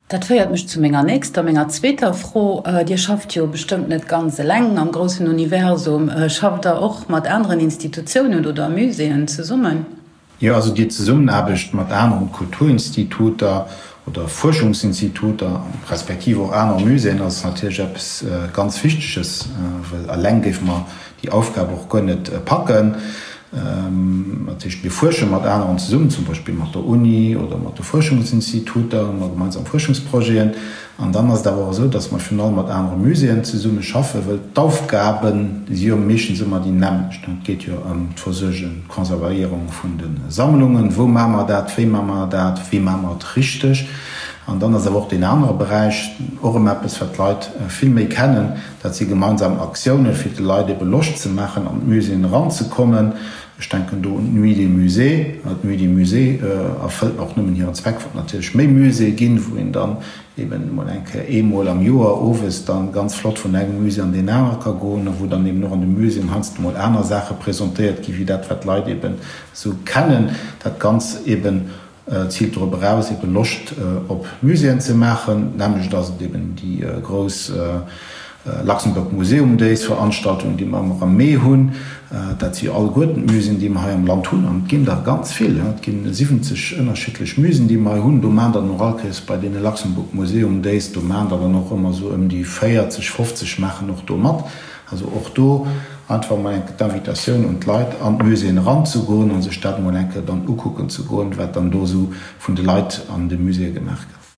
Dat féiert mech zu menger nächster, menger zweeter Fro. Dir schafft jo bestëmmt net ganz eleng am groussen Universum. Schafft Der och mat aneren Institutiounen oder Muséeën zesummen? Jo, also déi Zesummenaarbecht mat aneren Kulturinstituter oder Fuerschungsinstituter, respektiv och anere Muséeën ass natierlech eppes ganz Wichteges, well eleng géife mer déi Aufgab och guer net packen. Dat heescht, mir fuersche mat aneren zesummen, zum Beispill mat der Uni oder mat de Fuerschungsinstituter, hu mer gemeinsam Fuerschungsprojeten. An dann ass et awer och esou, datt mer virun allem mat anere Muséeën zesumme schaffen, wëll d'Aufgabe si jo meeschtens ëmmer déi nämmlecht. Et geet jo ëm d'Versuergen, d'Konservéierung vun de Sammlungen. Wou maache mer dat? Wéi maache mer dat? Wéi maache mer et richteg? An dann ass awer och deen anere Beräich och erëm eppes, wat d'Leit vill méi kennen, Dat si gemeinsam Aktiounen, fir de Leit ebe Loscht ze maachen, an d'Muséeën eranzekommen. Ech denken do un d'Nuit des Musées. D'Nuit des Musées erfëllt och nëmmen hiren Zweck, wann et natierlech méi Muséeë ginn, wou een dann eben emol eng Kéier eemol am Joer owes dann ganz flott vun engem Musée an deen anere ka goen a wou dann eben och an de Muséeën heiansdo emol aner Saache presentéiert gi wéi dat, wat d'Leit eben esou kennen. Dat Ganz eben ziilt dorop eraus, ebe Loscht op Muséeën ze maachen. D'nämmlecht ass et eben déi grouss Luxembourg Museum Days Veranstaltung, déi mer ëmmer am Mee hunn. Dat si jo alleguerten d'Muséeën, déi mer hei am Land hunn. An et ginn der ganz vill, et ginn 70 ënnerschiddlech Muséeën, déi mer hei hunn. Do maachen der dann och all Kéiers bei deene Luxembourg Museum Days, do maachen der dann och ëmmer esou ëm déi 40, 50 maachen och do mat. Also och do einfach emol eng Kéier d'Invitatioun un d'Leit, an d'Muséeën eranzegoen a sech dat emol eng Kéier dann ukucken ze goen, wat dann do esou vun de Leit an de Muséeë gemaach gëtt.